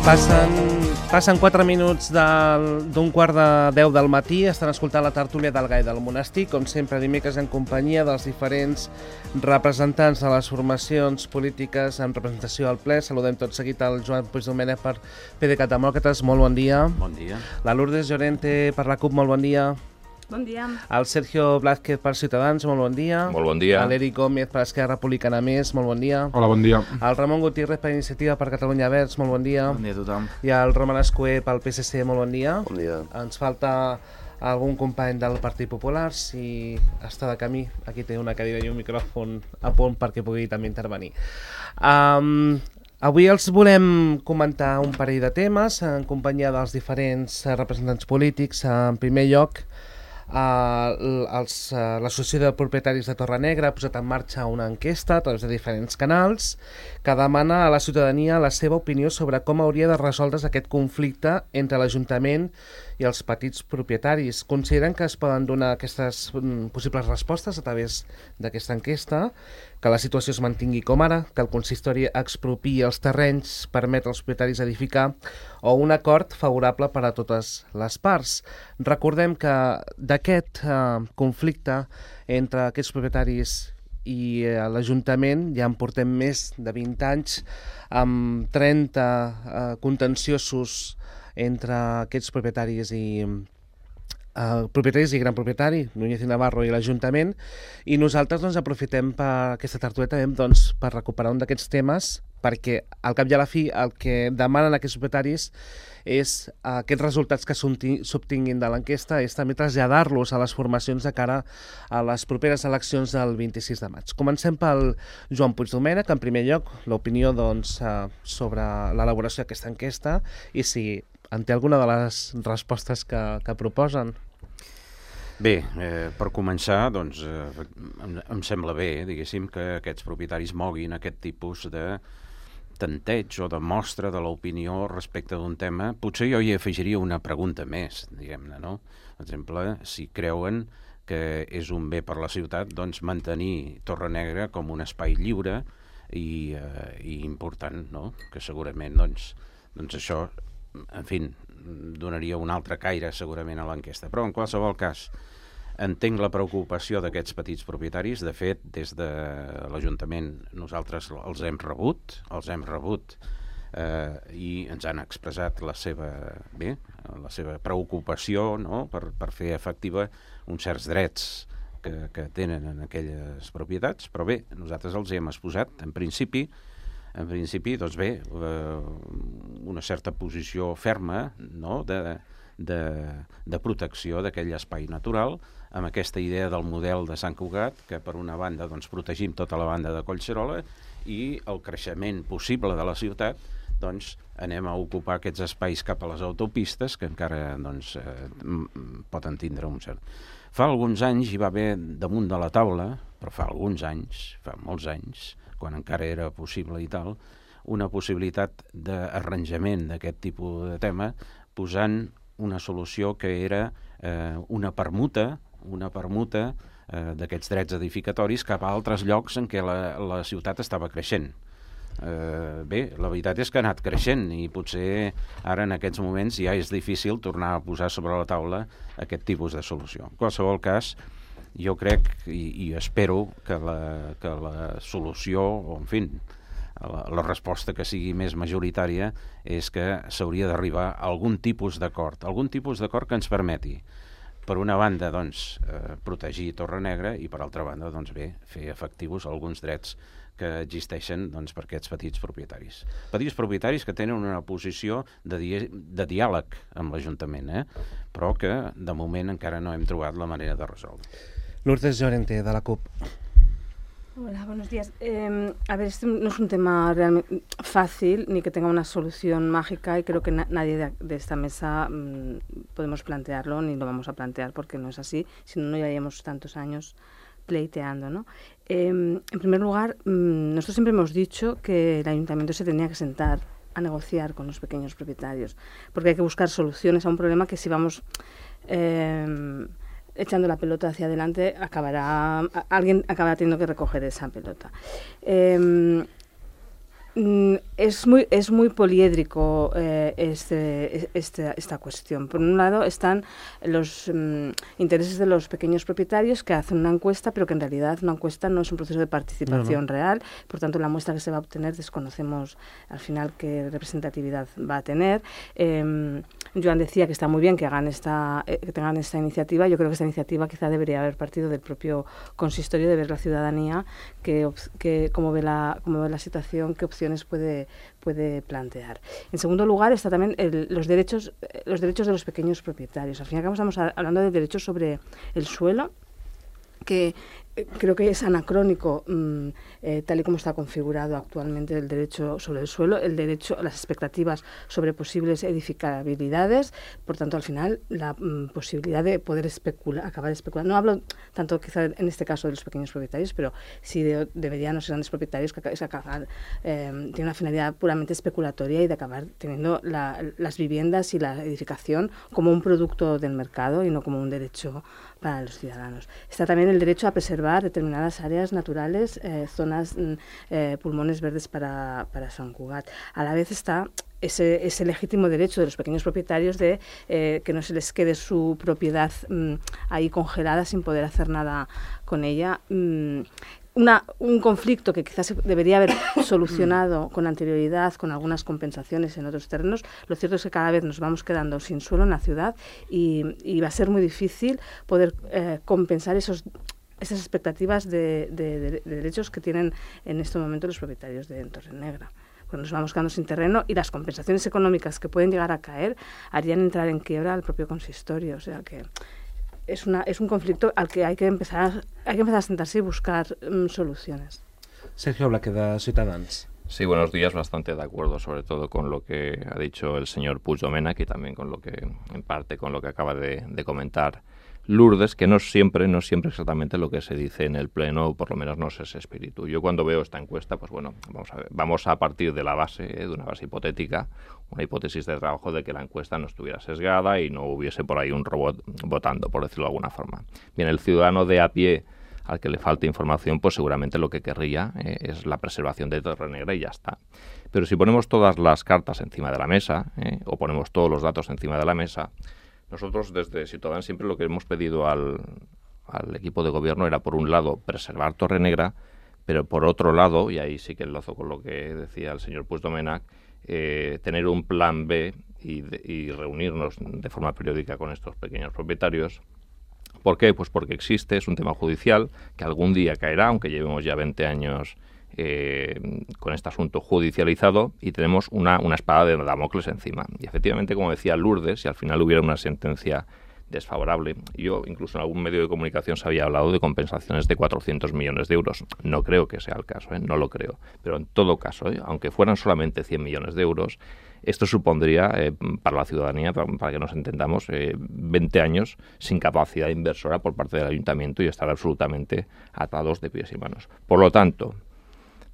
Passen 4 minuts d'un quart de 10 del matí, estan escoltant la tertúlia del Gai del Monestir, com sempre dimecres en companyia dels diferents representants de les formacions polítiques en representació al ple. Saludem tot seguit al Joan Puigdomènech per PDeCAT Demòcrates, molt bon dia. Bon dia. La Lourdes Llorente per la CUP, molt bon dia. Bon dia. El Sergio Blázquez per Ciutadans, molt bon dia. Molt bon dia. L'Eric Gómez per Esquerra Republicana Més, molt bon dia. Hola, bon dia. El Ramon Gutiérrez per Iniciativa per Catalunya Verds, molt bon dia. Bon dia a tothom. I el Roman Escuer pel PSC, molt bon dia. Bon dia. Ens falta algun company del Partit Popular, si està de camí, aquí té una cadira i un micròfon a punt perquè pugui també intervenir. Avui els volem comentar un parell de temes en companyia dels diferents representants polítics. En primer lloc, l'Associació de Propietaris de Torrenegra ha posat en marxa una enquesta a través de diferents canals que demana a la ciutadania la seva opinió sobre com hauria de resoldre's aquest conflicte entre l'Ajuntament i els petits propietaris. Consideren que es poden donar aquestes possibles respostes a través d'aquesta enquesta, que la situació es mantingui com ara, que el consistori expropiï els terrenys, permet als propietaris edificar, o un acord favorable per a totes les parts. Recordem que d'aquest conflicte entre aquests propietaris i l'Ajuntament ja en portem més de 20 anys, amb 30 contenciosos entre aquests propietaris i gran propietari, Núñez i Navarro i l'Ajuntament, i nosaltres aprofitem per aquesta tertúlia per recuperar un d'aquests temes, perquè al cap i a la fi el que demanen aquests propietaris és aquests resultats que s'obtinguin de l'enquesta, és també traslladar-los a les formacions de cara a les properes eleccions del 26 de maig. Comencem pel Joan Puigdomènech, en primer lloc, l'opinió sobre l'elaboració d'aquesta enquesta i si en té alguna de les respostes que proposen. Bé, per començar, doncs, em sembla bé, diguéssim, que aquests propietaris moguin aquest tipus de tanteig o de mostra de l'opinió respecte d'un tema. Potser jo hi afegiria una pregunta més, diguem-ne, no? Per exemple, si creuen que és un bé per la ciutat, doncs mantenir Torrenegra com un espai lliure i important, no? Que segurament, doncs això, en fi, donaria un altre caire segurament a l'enquesta. Però en qualsevol cas, entenc la preocupació d'aquests petits propietaris. De fet, des de l'Ajuntament nosaltres els hem rebut i ens han expressat la seva preocupació, no?, per fer efectiva uns certs drets que tenen en aquelles propietats. Però bé, nosaltres els hem exposat, en principi, doncs bé, una certa posició ferma, no?, de protecció d'aquell espai natural, amb aquesta idea del model de Sant Cugat, que per una banda doncs, protegim tota la banda de Collserola i el creixement possible de la ciutat, doncs anem a ocupar aquests espais cap a les autopistes que encara doncs, poden tindre un cert. Fa alguns anys hi va haver damunt de la taula, però fa molts anys, quan encara era possible i tal, una possibilitat d'arranjament d'aquest tipus de tema, posant una solució que era una permuta d'aquests drets edificatoris cap a altres llocs en què la ciutat estava creixent. Bé, la veritat és que ha anat creixent i potser ara en aquests moments ja és difícil tornar a posar sobre la taula aquest tipus de solució. En qualsevol cas, jo crec i espero que la solució, o en fi, la resposta que sigui més majoritària és que s'hauria d'arribar a algun tipus d'acord que ens permeti, per una banda, doncs, protegir Torrenegra i, per altra banda, doncs, bé, fer efectius alguns drets que existeixen doncs, per aquests petits propietaris. Petits propietaris que tenen una posició de diàleg amb l'Ajuntament, però que, de moment, encara no hem trobat la manera de resoldre. Lourdes Llorente, de la CUP. Hola, buenos días. A ver, este no es un tema realmente fácil ni que tenga una solución mágica y creo que nadie de esta mesa podemos plantearlo ni lo vamos a plantear porque no es así, si no, no llevaríamos tantos años pleiteando, ¿no? En primer lugar, nosotros siempre hemos dicho que el ayuntamiento se tenía que sentar a negociar con los pequeños propietarios porque hay que buscar soluciones a un problema que si vamos echando la pelota hacia adelante, alguien acabará teniendo que recoger esa pelota. Es muy poliédrico esta cuestión. Por un lado están los intereses de los pequeños propietarios que hacen una encuesta, pero que en realidad una encuesta no es un proceso de participación real. Por tanto, la muestra que se va a obtener desconocemos al final qué representatividad va a tener. Joan decía que está muy bien que tengan esta iniciativa. Yo creo que esta iniciativa quizá debería haber partido del propio consistorio, de ver la ciudadanía cómo ve la situación, qué opciones puede plantear. En segundo lugar está también los derechos de los pequeños propietarios. Al fin y al cabo estamos hablando de derechos sobre el suelo, que creo que es anacrónico tal y como está configurado actualmente el derecho sobre el suelo, las expectativas sobre posibles edificabilidades. Por tanto, al final, la posibilidad de poder acabar especulando. No hablo tanto quizá en este caso de los pequeños propietarios, pero sí de medianos y grandes propietarios que tienen una finalidad puramente especulatoria y de acabar teniendo las viviendas y la edificación como un producto del mercado y no como un derecho para los ciudadanos. Está también el derecho a preservar determinadas áreas naturales, zonas, pulmones verdes para Sant Cugat. A la vez está ese legítimo derecho de los pequeños propietarios de que no se les quede su propiedad ahí congelada sin poder hacer nada con ella. Un conflicto que quizás debería haber solucionado con anterioridad, con algunas compensaciones en otros terrenos. Lo cierto es que cada vez nos vamos quedando sin suelo en la ciudad y va a ser muy difícil poder compensar esas expectativas de derechos que tienen en este momento los propietarios de Torrenegra. Cuando nos vamos quedando sin terreno y las compensaciones económicas que pueden llegar a caer harían entrar en quiebra al propio consistorio. O sea que es un conflicto al que hay que empezar a sentarse y buscar soluciones. Sergio Blaque, de Ciutadans. Sí, buenos días. Bastante de acuerdo, sobre todo con lo que ha dicho el señor Puigdomènech y también con lo que, en parte, con lo que acaba de comentar Lourdes, que no siempre exactamente lo que se dice en el pleno, o por lo menos no es ese espíritu. Yo cuando veo esta encuesta, pues bueno, vamos a partir de la base, de una base hipotética, una hipótesis de trabajo de que la encuesta no estuviera sesgada y no hubiese por ahí un robot votando, por decirlo de alguna forma. Bien, el ciudadano de a pie al que le falta información, pues seguramente lo que querría es la preservación de Torrenegra y ya está. Pero si ponemos todas las cartas encima de la mesa, o ponemos todos los datos encima de la mesa, nosotros desde Ciutadans siempre lo que hemos pedido al equipo de gobierno era, por un lado, preservar Torrenegra, pero por otro lado, y ahí sí que enlazo con lo que decía el señor Puigdomènech, tener un plan B y reunirnos de forma periódica con estos pequeños propietarios. ¿Por qué? Pues porque es un tema judicial que algún día caerá, aunque llevemos ya 20 años con este asunto judicializado, y tenemos una espada de Damocles encima. Y efectivamente, como decía Lourdes, si al final hubiera una sentencia desfavorable, yo incluso en algún medio de comunicación se había hablado de compensaciones de 400 millones de euros. No creo que sea el caso, no lo creo. Pero en todo caso, aunque fueran solamente 100 millones de euros, esto supondría para la ciudadanía, para que nos entendamos, 20 años sin capacidad inversora por parte del ayuntamiento y estar absolutamente atados de pies y manos. Por lo tanto,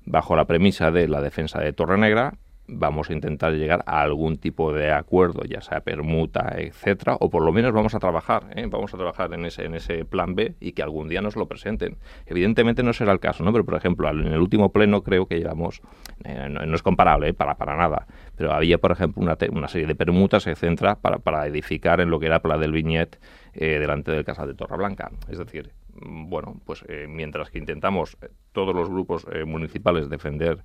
bajo la premisa de la defensa de Torrenegra, vamos a intentar llegar a algún tipo de acuerdo, ya sea permuta, etcétera, o por lo menos vamos a trabajar en ese plan B y que algún día nos lo presenten. Evidentemente no será el caso, ¿no? Pero, por ejemplo, en el último pleno creo que llevamos, no es comparable, para nada, pero había, por ejemplo, una serie de permutas, etcétera, para edificar en lo que era Pla del Vinyet, delante del Casal de Torreblanca. Es decir, bueno, pues mientras que intentamos todos los grupos municipales defender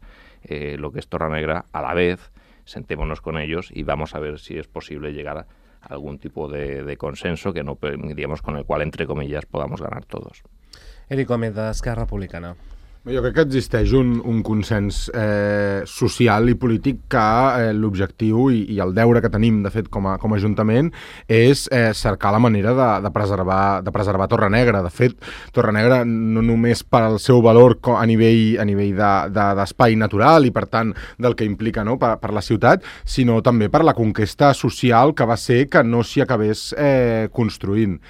lo que es Torrenegra, a la vez sentémonos con ellos y vamos a ver si es posible llegar a algún tipo de consenso que no, digamos, con el cual, entre comillas, podamos ganar todos. Eric Gómez, d'Esquerra Republicana. Jo crec que existeix un consens social i polític que l'objectiu i el deure que tenim, de fet, com a Ajuntament, és cercar la manera de preservar Torrenegra. De fet, Torrenegra no només per al seu valor a nivell d'espai natural i, per tant, del que implica, no, per la ciutat, sinó també per la conquesta social que va ser que no s'hi acabés construint.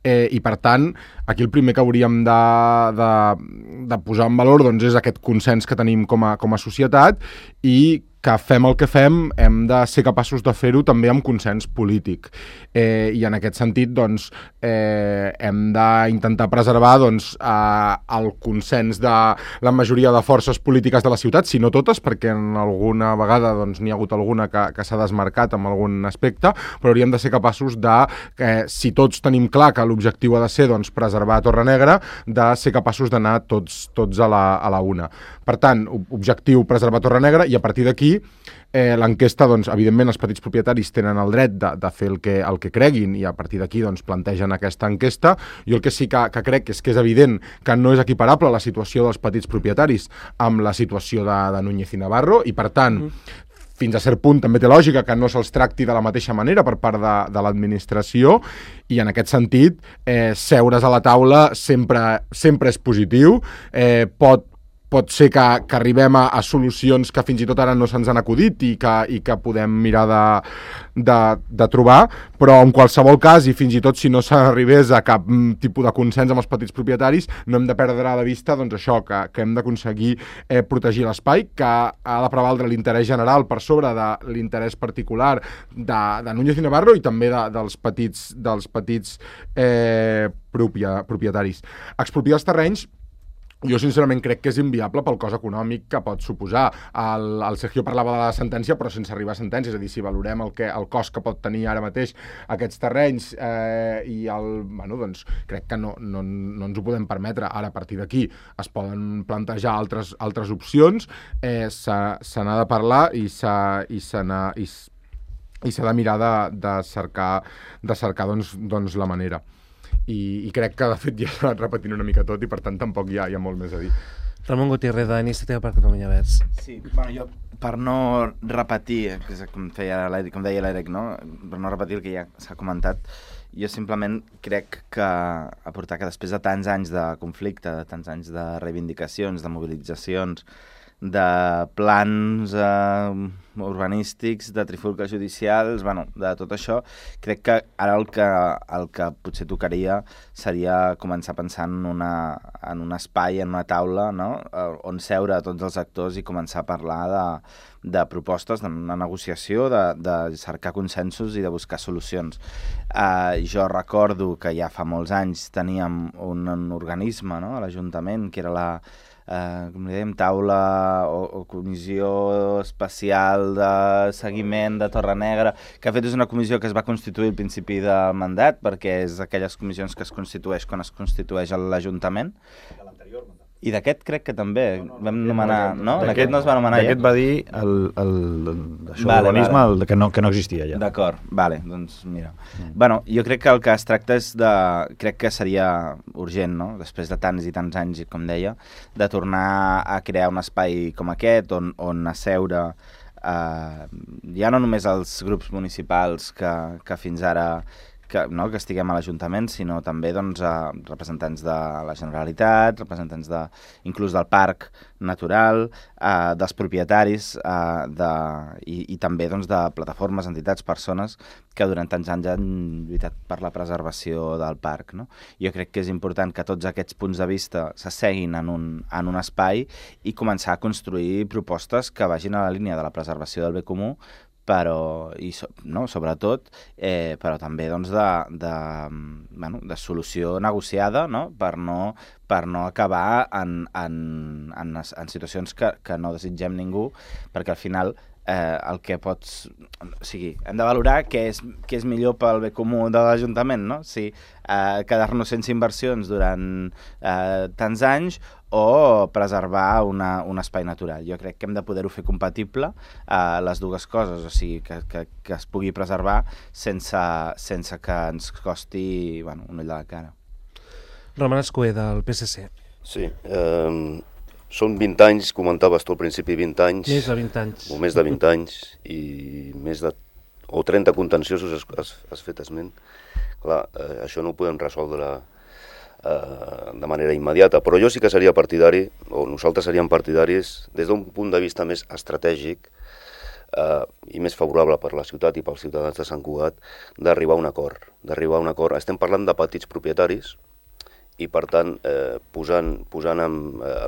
I, per tant, aquí el primer que hauríem de posar en valor, doncs, és aquest consens que tenim com a societat i que fem el que fem hem de ser capaços de fer-ho també amb consens polític. I en aquest sentit doncs, hem d'intentar preservar doncs, el consens de la majoria de forces polítiques de la ciutat, si no totes, perquè en alguna vegada doncs, n'hi ha hagut alguna que s'ha desmarcat en algun aspecte, però hauríem de ser capaços de, si tots tenim clar que l'objectiu ha de ser doncs, preservar Torre Negra, de ser capaços d'anar tots a la una. Per tant, objectiu preservar Torre Negra, i a partir d'aquí l'enquesta, doncs, evidentment, els petits propietaris tenen el dret de fer el que creguin, i a partir d'aquí doncs, plantegen aquesta enquesta. Jo el que sí que crec és que és evident que no és equiparable la situació dels petits propietaris amb la situació de Núñez i Navarro, i per tant, fins a cert punt també té lògica que no se'ls tracti de la mateixa manera per part de l'administració, i en aquest sentit seure's a la taula sempre és positiu. Pot ser que arribem a solucions que fins i tot ara no se'ns han acudit i que podem mirar de trobar, però en qualsevol cas, i fins i tot si no s'arribés a cap tipus de consens amb els petits propietaris, no hem de perdre de vista doncs, això, que hem d'aconseguir protegir l'espai, que ha de prevaldre l'interès general per sobre de l'interès particular de Núñez i Navarro i també dels petits propietaris. Expropiar els terrenys, jo sincerament crec que és inviable pel cost econòmic que pot suposar. El Sergio parlava de la sentència, però sense arribar a sentència, és a dir, si valorem el cost que pot tenir ara mateix aquests terrenys doncs crec que no ens ho podem permetre. Ara, a partir d'aquí, es poden plantejar altres opcions, se n'ha de parlar i s'ha de mirar de cercar doncs, la manera. I crec que, de fet, ja s'ha anat repetint una mica tot i, per tant, tampoc hi ha molt més a dir. Ramon Gutiérrez, d'Iniciativa per Catalunya Verds. Sí, bueno, jo, per no repetir, com deia l'Eric, no? Per no repetir el que ja s'ha comentat, jo simplement crec que aportar que després de tants anys de conflicte, de tants anys de reivindicacions, de mobilitzacions, de plans urbanístics, de trifulques judicials, bueno, de tot això, crec que ara el que potser tocaria seria començar a pensar en un espai, en una taula, no? On seure tots els actors i començar a parlar de propostes, d'una negociació, de cercar consensos i de buscar solucions. Jo recordo que ja fa molts anys teníem un organisme, no? A l'Ajuntament, que era com li dèiem, taula o comissió especial de seguiment de Torre Negra, que de fet és una comissió que es va constituir al principi del mandat, perquè és aquelles comissions que es constitueix quan es constitueix l'Ajuntament. I d'aquest crec que també vam nomenar, no? D'aquest no es va nomenar ja? D'aquest va dir l'urbanisme que no existia ja. D'acord, vale, doncs mira. Bueno, jo crec que el que es tracta és crec que seria urgent, no? Després de tants i tants anys, com deia, de tornar a crear un espai com aquest, on asseure ja no només els grups municipals que fins ara que estiguem a l'Ajuntament, sinó també doncs, representants de la Generalitat, representants inclús del Parc Natural, dels propietaris i també doncs, de plataformes, entitats, persones que durant tants anys han lluitat per la preservació del parc. No? Jo crec que és important que tots aquests punts de vista s'asseguin en un espai i començar a construir propostes que vagin a la línia de la preservació del bé comú, però sobretot però també doncs, de solució negociada, no? Per no acabar en situacions que no desitgem ningú, perquè al final el que pots... O sigui, hem de valorar què és millor pel bé comú de l'Ajuntament, no? Si quedar-nos sense inversions durant tants anys o preservar un espai natural. Jo crec que hem de poder-ho fer compatible les dues coses, o sigui, que es pugui preservar sense que ens costi un ull de la cara. Roman Escuer, del PSC. Sí, són 20 anys, comentaves tu al principi, 20 anys. Més de 20 anys. O més de 20 anys, i més de... o 30 contenciosos has fet esment. Clar, això no ho podem resoldre de manera immediata, però jo sí que seria partidari, o nosaltres seríem partidaris, des d'un punt de vista més estratègic i més favorable per la ciutat i pels ciutadans de Sant Cugat, d'arribar a un acord. Estem parlant de petits propietaris, i per tant, posant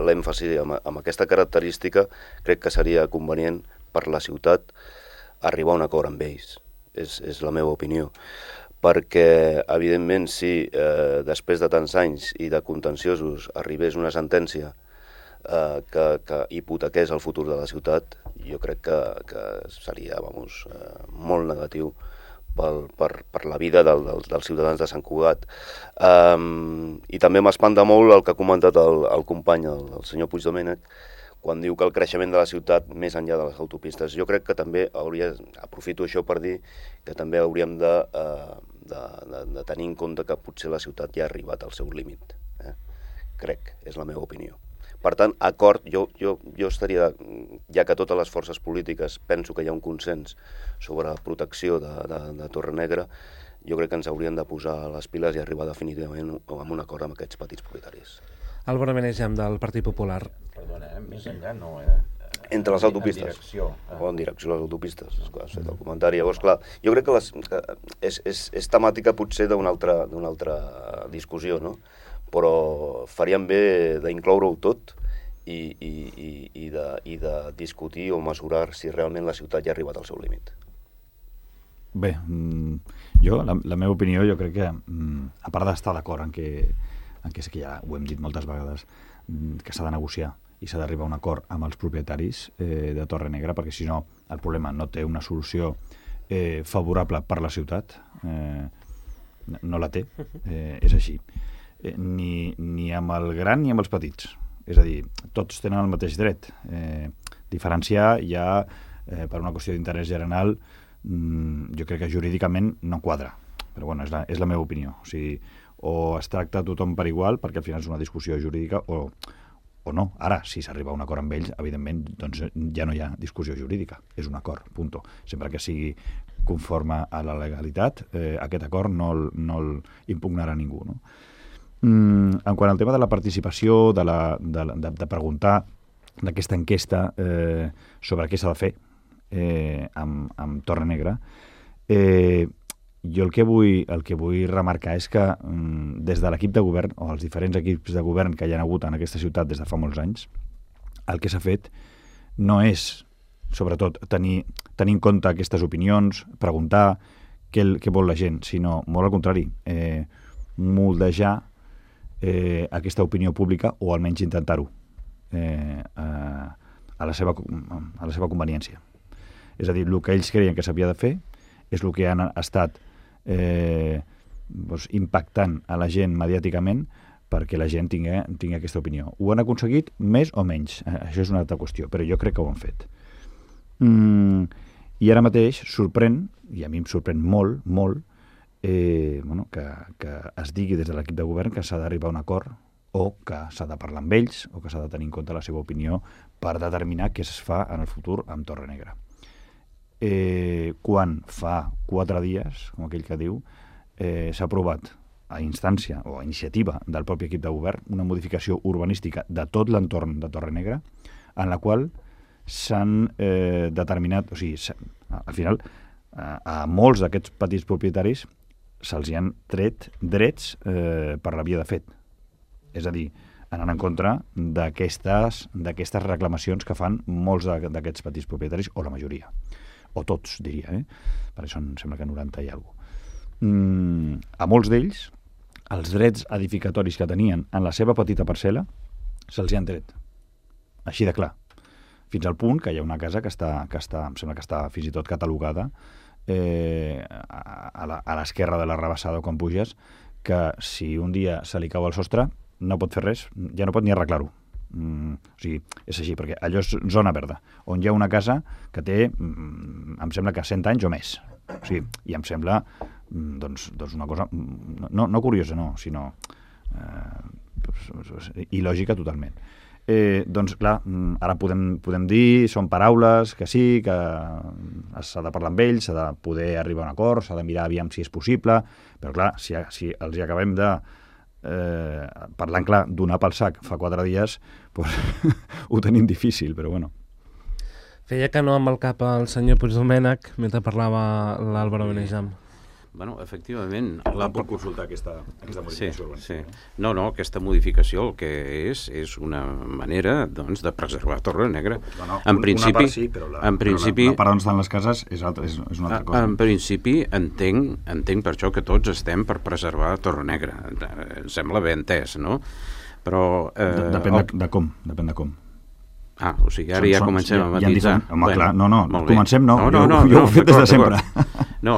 l'èmfasi amb aquesta característica, crec que seria convenient per la ciutat arribar a un acord amb ells. És la meva opinió. Perquè, evidentment, si després de tants anys i de contenciosos arribés una sentència que hipotequés el futur de la ciutat, jo crec que seria molt negatiu per la vida dels ciutadans de Sant Cugat. I també m'espanta molt el que ha comentat el company, el senyor Puigdomènech, quan diu que el creixement de la ciutat més enllà de les autopistes. Jo crec que també aprofito això per dir que també hauríem de tenir en compte que potser la ciutat ja ha arribat al seu límit. Crec, és la meva opinió. Per tant, acord, jo estaria, ja que totes les forces polítiques penso que hi ha un consens sobre la protecció de Torrenegra, jo crec que ens haurien de posar les piles i arribar definitivament a un acord amb aquests petits propietaris. Álvaro Menegem, del Partit Popular. Perdona, més enllà no, Entre les autopistes. O en direcció a les autopistes, has fet el comentari. Llavors, clar, jo crec que és temàtica potser d'una altra discussió, no? Però faríem bé d'incloure-ho tot i de discutir o mesurar si realment la ciutat ja ha arribat al seu límit. Bé, jo, la meva opinió, jo crec que, a part d'estar d'acord en que sí que ja ho hem dit moltes vegades, que s'ha de negociar i s'ha d'arribar a un acord amb els propietaris de Torrenegra, perquè si no el problema no té una solució favorable per la ciutat, no la té, és així. Ni amb el gran ni amb els petits. És a dir, tots tenen el mateix dret. Diferenciar ja, per una qüestió d'interès general, jo crec que jurídicament no quadra. Però bueno, és la meva opinió. O sigui, o es tracta tothom per igual, perquè al final és una discussió jurídica, o no. Ara, si s'arriba a un acord amb ells, evidentment, doncs ja no hi ha discussió jurídica. És un acord, punto. Sempre que sigui conforme a la legalitat, aquest acord no impugnarà ningú, no? En quant al tema de la participació, de preguntar d'aquesta enquesta sobre què s'ha de fer amb Torrenegra, jo el que vull remarcar és que des de l'equip de govern, o els diferents equips de govern que hi ha hagut en aquesta ciutat des de fa molts anys, el que s'ha fet no és, sobretot, tenir en compte aquestes opinions, preguntar què vol la gent, sinó, molt al contrari, moldejar aquesta opinió pública, o almenys intentar-ho a la seva conveniència. És a dir, el que ells creien que s'havia de fer és el que han estat impactant a la gent mediàticament perquè la gent tingui aquesta opinió. Ho han aconseguit més o menys, això és una altra qüestió, però jo crec que ho han fet. I ara mateix sorprèn, i a mi em sorprèn molt, que es digui des de l'equip de govern que s'ha d'arribar a un acord, o que s'ha de parlar amb ells, o que s'ha de tenir en compte la seva opinió per determinar què es fa en el futur amb Torrenegra. Quan fa 4 dies, com aquell que diu, s'ha aprovat a instància o a iniciativa del propi equip de govern una modificació urbanística de tot l'entorn de Torrenegra, en la qual s'han determinat, o sigui, al final, a molts d'aquests petits propietaris se'ls han tret drets per la via de fet. És a dir, anant en contra d'aquestes reclamacions que fan molts d'aquests petits propietaris, o la majoria, o tots, diria, perquè són, sembla que 90 i alguna cosa. A molts d'ells, els drets edificatoris que tenien en la seva petita parcel·la se'ls han tret. Així de clar. Fins al punt que hi ha una casa que està, em sembla que està fins i tot catalogada a l'esquerra de la rebassada quan puges, que si un dia se li cau el sostre no pot fer res, ja no pot ni arreglar-ho. O sigui, és així, perquè allò és zona verda, on hi ha una casa que té, em sembla que 100 anys o més. O sigui, i em sembla doncs una cosa no curiosa, no, sinó il·lògica totalment. Doncs clar, ara podem dir, són paraules, que sí, que s'ha de parlar amb ells, s'ha de poder arribar a un acord, s'ha de mirar aviam si és possible, però clar, si els hi acabem de parlant clar, donar pel sac fa 4 dies, doncs ho tenim difícil, però bueno. Feia que no amb el cap el senyor Puigdomènech mentre parlava l'Álvaro Menegem. Bueno, efectivament... Pot consultar aquesta modificació urbanística. No, aquesta modificació el que és una manera doncs, de preservar Torrenegra. En principi, una part sí, però la part on estan les cases és una altra cosa. En principi entenc per això que tots estem per preservar Torrenegra. Em sembla ben entès, no? Però... Depèn de com. O sigui, ara ja comencem a matisar. Home, clar, comencem no. Jo ho he fet des de sempre. No.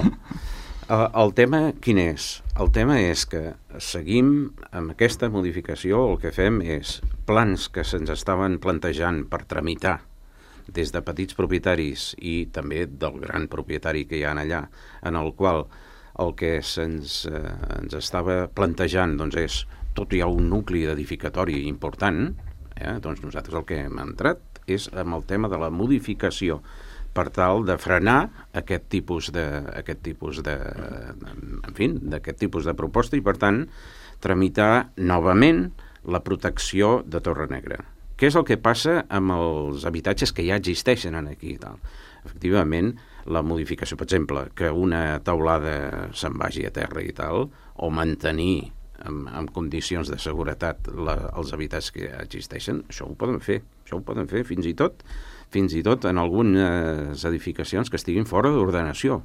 El tema quin és? El tema és que seguim amb aquesta modificació, el que fem és plans que se'ns estaven plantejant per tramitar des de petits propietaris i també del gran propietari que hi ha allà, en el qual el que ens estava plantejant doncs és tot hi ha un nucli edificatori important, doncs nosaltres el que hem entrat és amb el tema de la modificació per tal de frenar aquest tipus de proposta i, per tant, tramitar novament la protecció de Torrenegra. Què és el que passa amb els habitatges que ja existeixen aquí i tal? Efectivament, la modificació, per exemple, que una teulada se'n vagi a terra i tal, o mantenir en condicions de seguretat els habitatges que ja existeixen, això ho poden fer fins i tot en algunes edificacions que estiguin fora d'ordenació.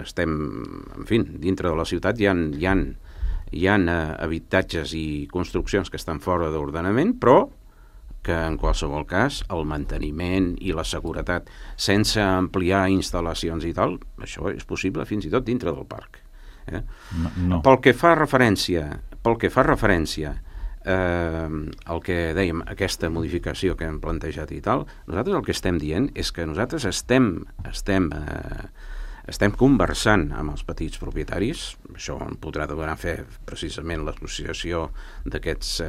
Estem, en fi, dintre de la ciutat hi ha habitatges i construccions que estan fora d'ordenament, però que en qualsevol cas el manteniment i la seguretat sense ampliar instal·lacions i tal, això és possible fins i tot dintre del parc. No. Pel que fa referència el que dèiem, aquesta modificació que hem plantejat i tal, nosaltres el que estem dient és que nosaltres estem conversant amb els petits propietaris, això en podrà donar fe precisament l'associació d'aquests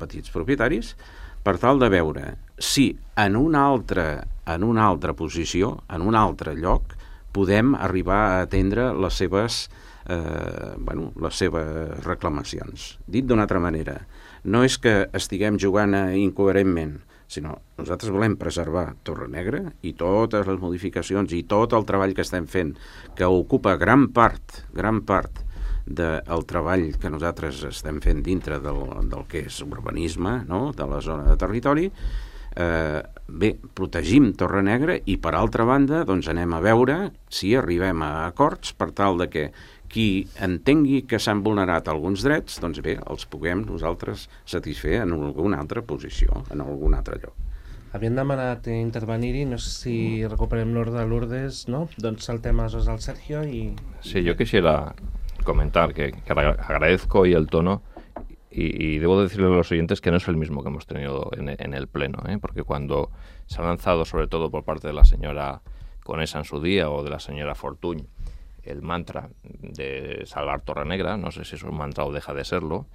petits propietaris, per tal de veure si en una altra posició, en un altre lloc, podem arribar a atendre les seves reclamacions. Dit d'una altra manera, no és que estiguem jugant incoherentment, sinó nosaltres volem preservar Torrenegra i totes les modificacions i tot el treball que estem fent, que ocupa gran part del treball que nosaltres estem fent dintre del que és urbanisme, no? De la zona de territori. Protegim Torrenegra i, per altra banda, doncs anem a veure si arribem a acords per tal de que qui entengui que s'han vulnerat alguns drets, doncs bé, els puguem nosaltres satisfer en alguna altra posició, en algun altre lloc. Havien demanat intervenir-hi, no sé si recuperem l'ordre de Lourdes, ¿no? Doncs saltem aleshores al Sergio y... Sí, yo quisiera comentar que agradezco hoy el tono y debo decirle a los oyentes que no es el mismo que hemos tenido en el Pleno, porque cuando se ha lanzado, sobre todo por parte de la señora Conesa en su día o de la señora Fortuny, el mantra de salvar Torrenegra, no sé si es un mantra o deja de serlo,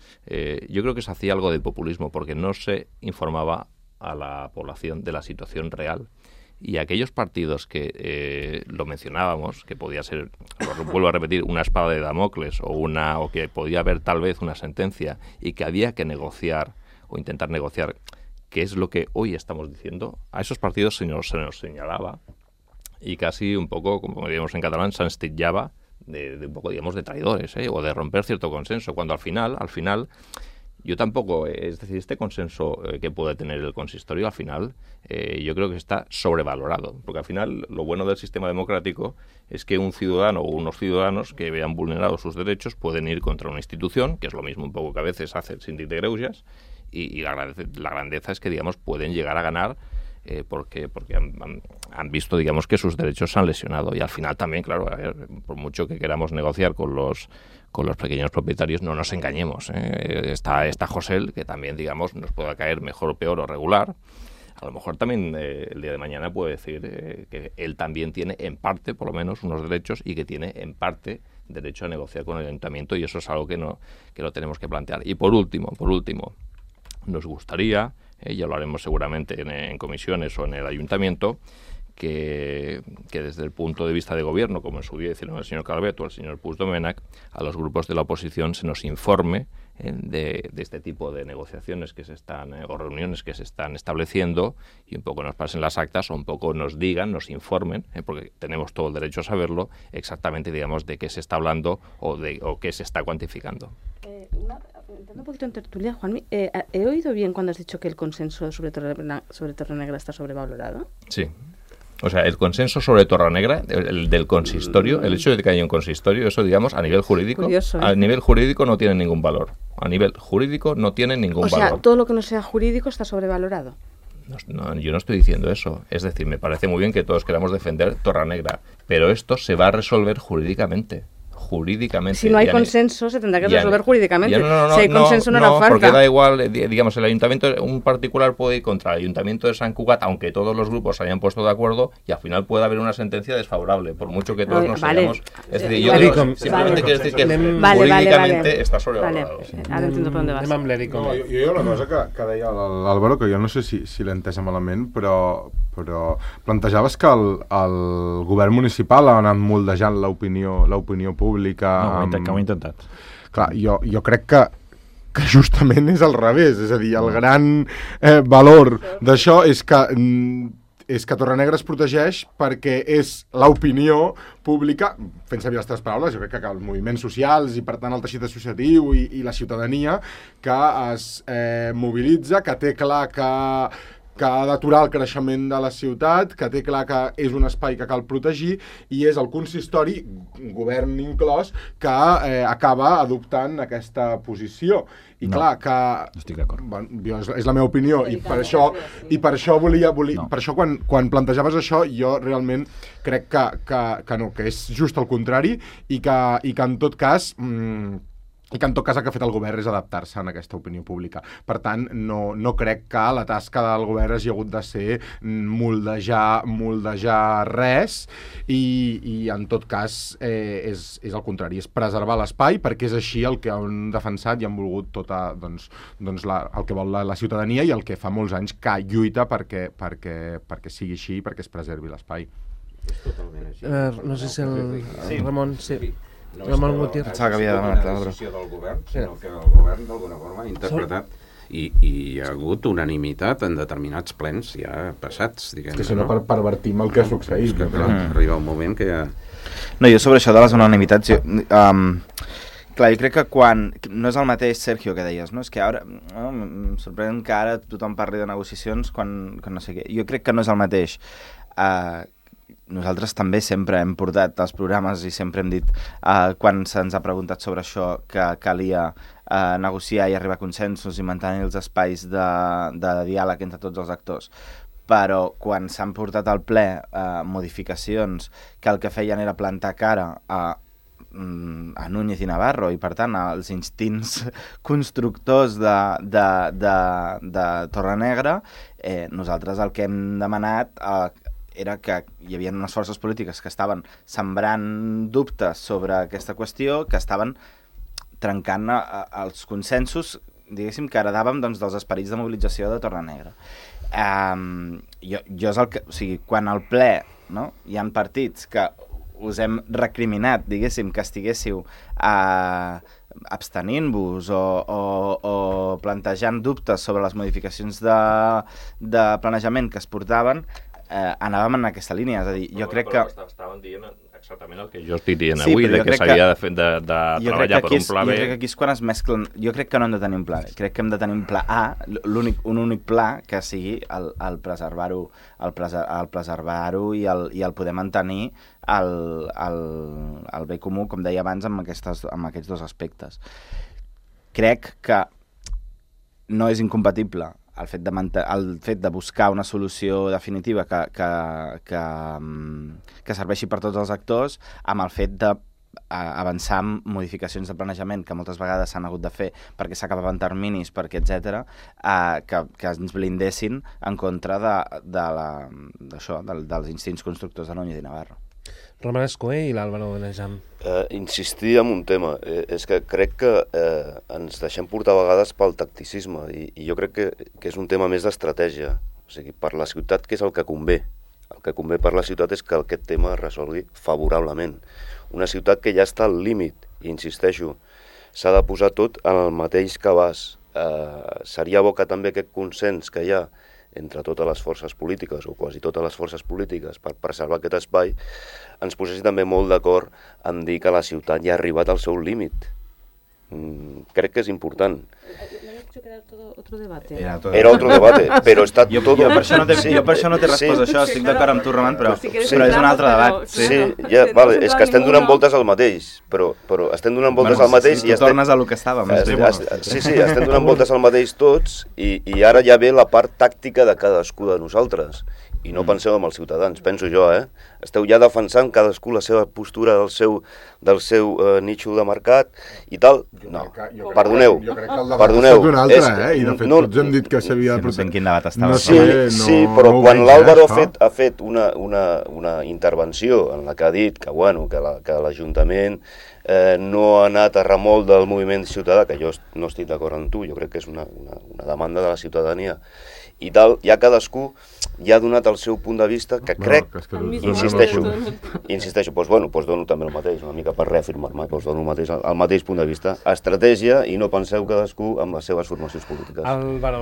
yo creo que se hacía algo de populismo porque no se informaba a la población de la situación real. Y aquellos partidos que lo mencionábamos, que podía ser, vuelvo a repetir, una espada de Damocles o que podía haber tal vez una sentencia y que había que negociar o intentar negociar, que es lo que hoy estamos diciendo, a esos partidos se nos señalaba y casi un poco, como diríamos en catalán, se enstillaba de un poco, digamos, de traidores, o de romper cierto consenso, cuando al final, yo tampoco, es decir, este consenso que puede tener el consistorio, al final, yo creo que está sobrevalorado, porque al final lo bueno del sistema democrático es que un ciudadano o unos ciudadanos que vean vulnerados sus derechos pueden ir contra una institución, que es lo mismo un poco que a veces hace el síndic de Greuges, y la grandeza es que, digamos, pueden llegar a ganar porque han visto, digamos, que sus derechos se han lesionado. Y al final también, claro, por mucho que queramos negociar con los pequeños propietarios, no nos engañemos. Está José, que también, digamos, nos pueda caer mejor o peor o regular. A lo mejor también el día de mañana puede decir que él también tiene, en parte, por lo menos, unos derechos y que tiene, en parte, derecho a negociar con el ayuntamiento, y eso es algo que lo tenemos que plantear. Y por último, nos gustaría, ya lo haremos seguramente en comisiones o en el ayuntamiento, que desde el punto de vista de gobierno, como en su día hicieron el señor Calvet o el señor Puigdomènech, a los grupos de la oposición se nos informe de este tipo de negociaciones que se están, o reuniones que se están estableciendo, y un poco nos pasen las actas o un poco nos digan, nos informen, porque tenemos todo el derecho a saberlo, exactamente, digamos, de qué se está hablando o qué se está cuantificando. Entrando un poquito en tertulia, Juanmi, ¿he oído bien cuando has dicho que el consenso sobre Torrenegra está sobrevalorado? Sí. O sea, el consenso sobre Torrenegra, el del consistorio, el hecho de que haya un consistorio, eso, digamos, a nivel jurídico, curioso, ¿eh? A nivel jurídico no tiene ningún valor. A nivel jurídico no tiene ningún valor. O sea, todo lo que no sea jurídico está sobrevalorado. No, yo no estoy diciendo eso. Es decir, me parece muy bien que todos queramos defender Torrenegra, pero esto se va a resolver jurídicamente. Si no hay consenso, se tendrá que resolver jurídicamente. Si hay consenso, no hará falta. Porque da igual, digamos, el ayuntamiento, un particular puede ir contra el ayuntamiento de Sant Cugat, aunque todos los grupos se hayan puesto de acuerdo, y al final puede haber una sentencia desfavorable, por mucho que todos nos hayamos... Es decir, yo simplemente quiero decir que jurídicamente està sobrevalorado. Ara entiendo per on vas. Jo hi ha una cosa que deia l'Àlvaro, que jo no sé si l'he entès malament, però plantejaves que el govern municipal ha anat moldejant l'opinió pública. No, que ho he intentat. Clar, jo crec que justament és al revés, és a dir, el gran valor d'això és que Torrenegra es protegeix perquè és l'opinió pública, fent servir les teves paraules, jo crec que els moviments socials i per tant el teixit associatiu i la ciutadania que es mobilitza, que té clar que ha d'aturar el creixement de la ciutat, que té clar que és un espai que cal protegir, i és el consistori, govern inclòs, que acaba adoptant aquesta posició. I clar, que... No estic d'acord. Bueno, és la meva opinió, i per això volia per això quan plantejaves això, jo realment crec que no, que és just el contrari, i que en tot cas... el que ha fet el govern és adaptar-se a aquesta opinió pública. Per tant, no crec que la tasca del govern hagi hagut de ser moldejar res, i en tot cas és el contrari, és preservar l'espai, perquè és així el que han defensat i han volgut el que vol la ciutadania, i el que fa molts anys que lluita perquè sigui així, perquè es preservi l'espai. És totalment així. No sé si el Ramon... Sí. No és que havia demanat la decisió del govern, sinó que el govern d'alguna forma ha interpretat i hi ha hagut unanimitat en determinats plens ja passats, diguem-ne. Que si no pervertim el que ha succeït. Que arriba un moment que ja... No, jo sobre això de les unanimitats... Clar, jo crec que quan... No és el mateix, Sergio, que deies, no? És que ara... em sorprèn que ara tothom parli de negociacions quan no sé què. Jo crec que no és el mateix. Nosaltres també sempre hem portat els programes i sempre hem dit, quan se'ns ha preguntat sobre això, que calia negociar i arribar a consensos i mantenir els espais de diàleg entre tots els actors. Però quan s'han portat al ple modificacions que el que feien era plantar cara a Núñez i Navarro, i per tant als instints constructors de Torrenegra, nosaltres el que hem demanat era que hi havia unes forces polítiques que estaven sembrant dubtes sobre aquesta qüestió, que estaven trencant els consensos, diguéssim, que heredàvem dels esperits de mobilització de Torrenegra. Jo és el que... O sigui, quan al ple hi ha partits que us hem recriminat, diguéssim, que estiguéssiu abstenint-vos o plantejant dubtes sobre les modificacions de planejament que es portaven, anàvem en aquesta línia, és a dir, jo crec que... Estaven dient exactament el que jo estic dient avui, de que s'havia de treballar per un pla B. Jo crec que aquí és quan es mesclen... Jo crec que no hem de tenir un pla B, crec que hem de tenir un pla A, un únic pla que sigui el preservar-ho i el poder mantenir el bé comú, com deia abans, amb aquests dos aspectes. Crec que no és incompatible el fet de buscar una solució definitiva que serveixi per tots els actors, amb el fet d'avançar en modificacions de planejament que moltes vegades s'han hagut de fer perquè s'acabaven terminis, perquè etc., que ens blindessin en contra dels instints constructors de Núñez i Navarro. Roman Escoé i l'Àlvaro Benejam. Insistir en un tema. És que crec que ens deixem portar a vegades pel tacticisme, i jo crec que és un tema més d'estratègia. O sigui, per la ciutat, què és el que convé? El que convé per la ciutat és que aquest tema es resolgui favorablement. Una ciutat que ja està al límit, i insisteixo, s'ha de posar tot en el mateix cabàs. Seria bo que també aquest consens que hi ha entre totes les forces polítiques, o quasi totes les forces polítiques, per preservar aquest espai, ens posessin també molt d'acord en dir que la ciutat ja ha arribat al seu límit. Crec que és important. Era otro debate. Era otro debate, però està tot... Jo per això no t'he respost això, estic d'acord amb tu, Roman, però és un altre debat. Sí, ja, vale, és que estem donant voltes al mateix, però estem donant voltes al mateix i tornes a lo que estàvem. Sí, estem donant voltes al mateix tots i ara ja ve la part tàctica de cadascú de nosaltres. I no penseu en els ciutadans, penso jo, Esteu ja defensant cadascú la seva postura del seu nitxo de mercat i tal. No, perdoneu. Jo crec que el debat ha estat un altre, i de fet tots hem dit que s'havia de protegir. No sé en quin debat estava. Sí, però quan l'Àlvaro ha fet una intervenció en la que ha dit que l'Ajuntament no ha anat a remolc del moviment ciutadà, que jo no estic d'acord amb tu, jo crec que és una demanda de la ciutadania, i tal, ja cadascú ja ha donat el seu punt de vista, que crec, insisteixo, doncs dono també el mateix, una mica per reafirmar-me, doncs dono el mateix punt de vista, estratègia, i no penseu cadascú amb les seves formacions polítiques. Vale.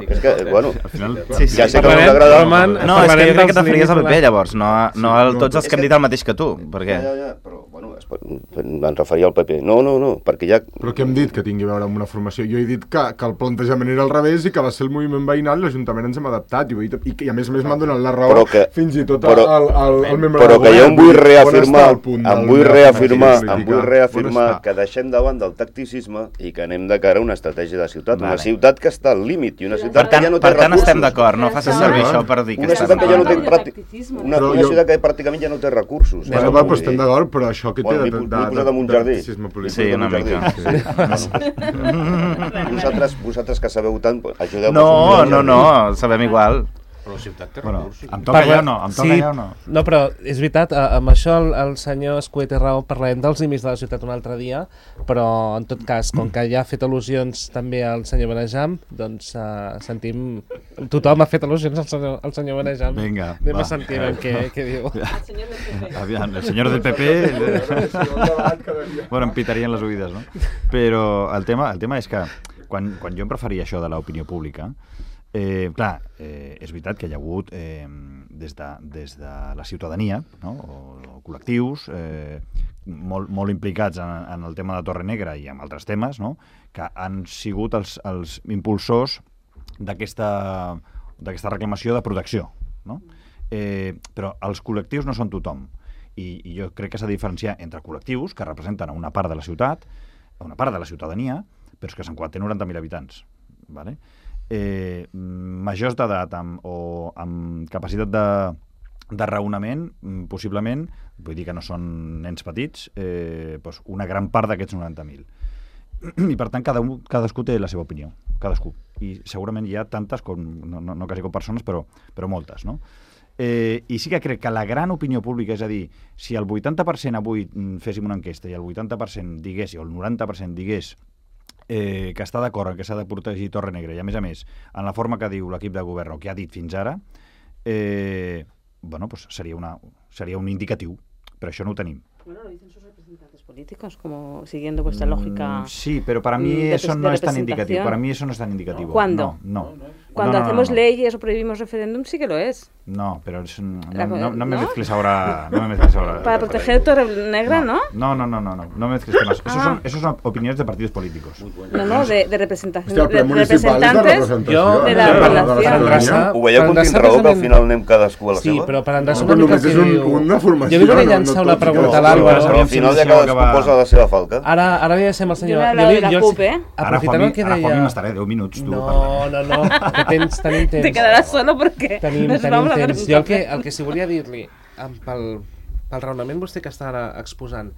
És que, al final... Ja sé que no t'agrada... No, és que jo crec que t'aferies al PP, llavors, no a tots els que han dit el mateix que tu, perquè... Ja, però, em referia al PP. No, perquè ja... Però què hem dit que tingui a veure amb una formació? Jo he dit que el plantejament era al revés i que va ser el moviment veïnal i l'Ajuntament ens hem adaptat. I a més m'han donat la raó fins i tot al membre del govern. Però que jo em vull reafirmar que deixem davant del tacticisme i que anem de cara a una estratègia de ciutat. Una ciutat que està al límit i una ciutat que ja no té recursos. Per tant estem d'acord, no facis servir això per dir que estem d'acord. Una ciutat que pràcticament ja no té recursos. Però estem d'acord, però això que té de tacticisme polític. Sí, una mica. Vosaltres que sabeu tant, ajudeu-me. No, sabem igual. Però la ciutat té recursos. Em toca allà o no? No, però és veritat, amb això el senyor Escuet té raó, parlarem dels límits de la ciutat un altre dia, però en tot cas, com que ja ha fet al·lusions també al senyor Benejam, doncs sentim... Tothom ha fet al·lusions al senyor Benejam. Vinga, anem a sentir què diu. El senyor del PP... Bueno, em pitarien les oïdes, no? Però el tema és que quan jo em referia a això de l'opinió pública, clar, és veritat que hi ha hagut des de la ciutadania, no? o col·lectius molt implicats en el tema de Torre Negra i en altres temes, no? que han sigut els impulsors d'aquesta reclamació de protecció, no? Però els col·lectius no són tothom i jo crec que s'ha de diferenciar entre col·lectius que representen a una part de la ciutat, a una part de la ciutadania, però és que Sant Cugat té 90.000 habitants, ¿vale? Majors d'edat o amb capacitat de raonament, possiblement, vull dir que no són nens petits, doncs una gran part d'aquests 90.000. I per tant cadascú té la seva opinió, cadascú. I segurament hi ha tantes, no quasi com persones, però moltes, no? I sí que crec que la gran opinió pública, és a dir, si el 80% avui féssim una enquesta i el 80% digués, o el 90% digués que està d'acord en que s'ha de protegir Torre Negra i a més, en la forma que diu l'equip de govern o que ha dit fins ara, bueno, pues seria un indicatiu, però això no ho tenim. Bueno, lo dicen sus representantes políticos, como siguiendo vuestra lógica. Sí, pero para mí eso no es tan indicativo. Para mí eso no es tan indicativo. ¿Cuándo? No. Cuando hacemos leyes o prohibimos referéndum, sí que lo es. No, pero no me mezcles ahora. No me mezcles ahora. Para proteger Torre Negra, ¿no? No me mezcles temas. Esos son opiniones de partidos políticos. No, de representación. Hòstia, de representantes de la población. Ho veieu com tinc raó, que al final anem cadascú a la seva? Sí, però per endreçar una mica el que diu... Una formació, jo li volia llançar una pregunta a l'Àlvaro. Però al final ja cadascú posa la seva falca. Ara li deixem al senyor... Ara, Juanmi, m'estaré 10 minuts. No, que tens temps. Te quedaràs solo perquè tenim temps. Jo el que sí volia dir-li, pel raonament vostè que està ara exposant,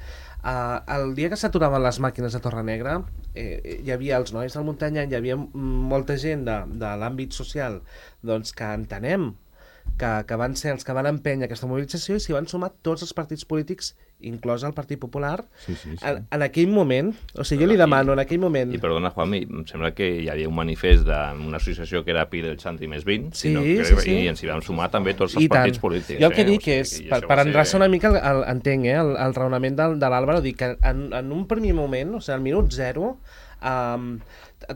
el dia que s'aturaven les màquines de Torre Negra, hi havia els nois del Muntanyà, hi havia molta gent de l'àmbit social doncs, que entenem que van ser els que van empènyer aquesta mobilització i s'hi van sumar tots els partits polítics, inclòs el Partit Popular, en aquell moment. O sigui, jo li demano en aquell moment... I perdona, Juanmi, em sembla que hi havia un manifest d'una associació que era Pi del Xanti més 20, sí. I ens hi vam sumar també tots els partits polítics. Jo el que dic és, per endreçar una mica, entenc el raonament de l'Àlvaro, dic que en un primer moment, o sigui, al minut zero,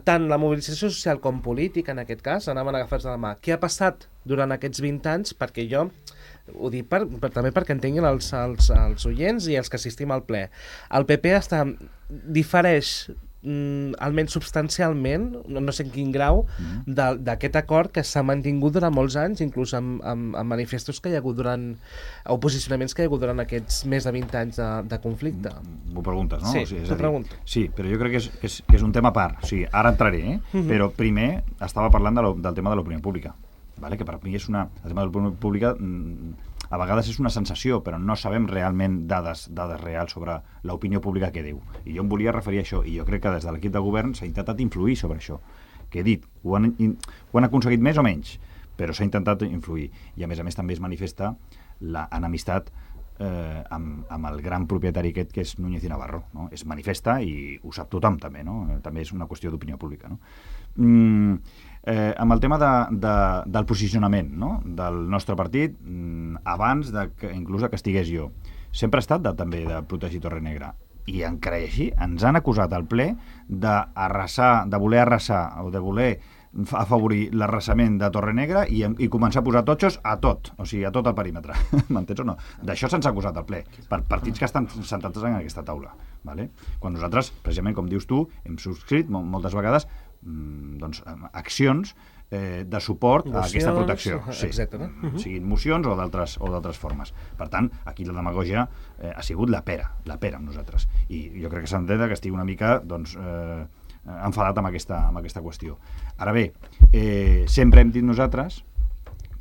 tant la mobilització social com política, en aquest cas, anaven agafats de la mà. Què ha passat durant aquests 20 anys? Perquè jo ho dic també perquè entenguin els oients i els que assistim al ple. El PP difereix almenys substancialment, no sé en quin grau, d'aquest acord que s'ha mantingut durant molts anys, inclús amb manifestos que hi ha hagut o posicionaments que hi ha hagut durant aquests més de 20 anys de conflicte. M'ho preguntes, no? Sí, t'ho pregunto. Sí, però jo crec que és un tema a part. O sigui, ara entraré, però primer estava parlant del tema de l'opinió pública, vale? Que per mi és el tema de l'opinió pública a vegades és una sensació, però no sabem realment dades reals sobre l'opinió pública que diu. I jo em volia referir a això, i jo crec que des de l'equip de govern s'ha intentat influir sobre això. Que he dit, ho han aconseguit més o menys, però s'ha intentat influir. I a més també es manifesta l'enemistat amb el gran propietari aquest que és Núñez i Navarro, no? Es manifesta i ho sap tothom també, no? També és una qüestió d'opinió pública, no? Amb el tema del posicionament, no? Del nostre partit, abans inclús que estigués jo, sempre ha estat també de protegir Torrenegra, i encara així ens han acusat al ple de voler arrasar o de voler afavorir l'arrasament de Torrenegra i començar a posar totxos a tot, o sigui, a tot el perímetre. M'entens o no? D'això se'ns ha acusat al ple, per partits que estan sentats en aquesta taula. Vale? Quan nosaltres, precisament com dius tu, hem subscrit moltes vegades accions de suport a aquesta protecció, siguin mocions o d'altres formes. Per tant, aquí la demagògia ha sigut la pera amb nosaltres, i jo crec que s'ha d'entendre que estigui una mica enfadat amb aquesta qüestió. Ara bé, sempre hem dit nosaltres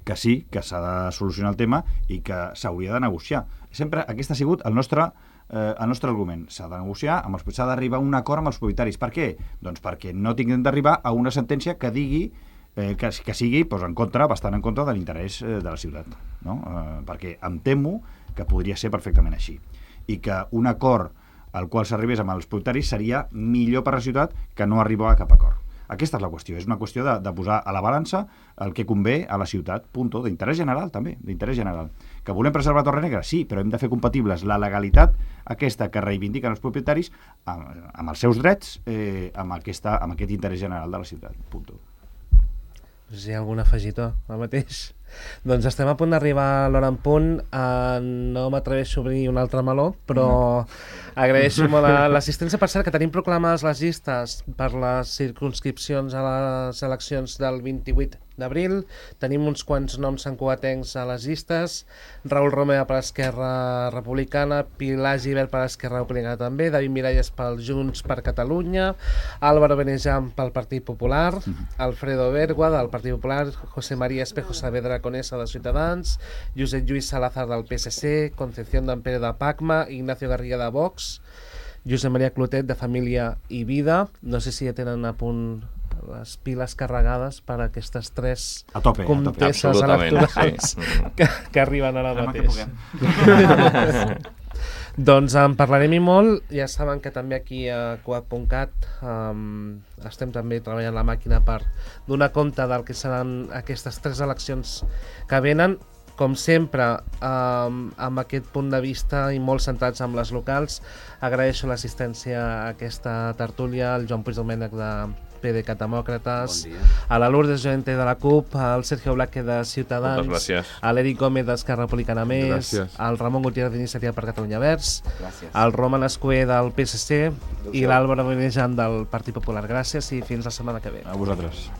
que sí, que s'ha de solucionar el tema i que s'hauria de negociar. Sempre aquest ha sigut el nostre argument. S'ha de negociar, s'ha d'arribar a un acord amb els propietaris. Per què? Doncs perquè no tinguem d'arribar a una sentència que digui que sigui bastant en contra de l'interès de la ciutat, no? Perquè em temo que podria ser perfectament així, i que un acord al qual s'arribés amb els propietaris seria millor per a la ciutat que no arribar a cap acord. Aquesta és la qüestió, és una qüestió de posar a la balança el que convé a la ciutat, punto, d'interès general també, d'interès general. Que volem preservar Torrenegra? Sí, però hem de fer compatibles la legalitat aquesta que reivindiquen els propietaris amb els seus drets, amb aquest interès general de la ciutat, punto. No sé si hi ha algun afegitó al mateix. Doncs estem a punt d'arribar a l'hora en punt. No m'atreveixo a obrir un altre meló, però agraeixo molt l'assistència. Per cert, que tenim proclamades les llistes per les circumscripcions a les eleccions del 28 d'abril. Tenim uns quants noms sancoatencs a les llistes. Raül Romeva per Esquerra Republicana, Pilar Gibert per Esquerra Republicana també, David Miralles pel Junts per Catalunya, Álvaro Benejam pel Partit Popular, Alfredo Bergua del Partit Popular, José María Espejo Saavedra Conesa de Ciutadans, Josep Lluís Salazar del PSC, Concepción d'Ampere de Pacma, Ignacio Garriga de Vox, Josep María Clotet de Família i Vida. No sé si ja tenen a punt les piles carregades per a aquestes tres contestes electorals que arriben ara mateix. Doncs en parlarem i molt. Ja saben que també aquí a Coat.cat estem també treballant la màquina per donar compte del que seran aquestes tres eleccions que venen, com sempre amb aquest punt de vista i molt centrats amb les locals. Agraeixo l'assistència a aquesta tertúlia al Joan Puigdomènech de PDeCAT Demòcrates, a la Lourdes Joente de la CUP, al Sergio Blaque de Ciutadans, a l'Eric Gómez d'Esquerra Republicana Més, al Ramon Gutiérrez d'Iniciativa per Catalunya Verds, al Roman Escuer del PSC i l'Àlvaro Benejam del Partit Popular. Gràcies i fins la setmana que ve. A vosaltres.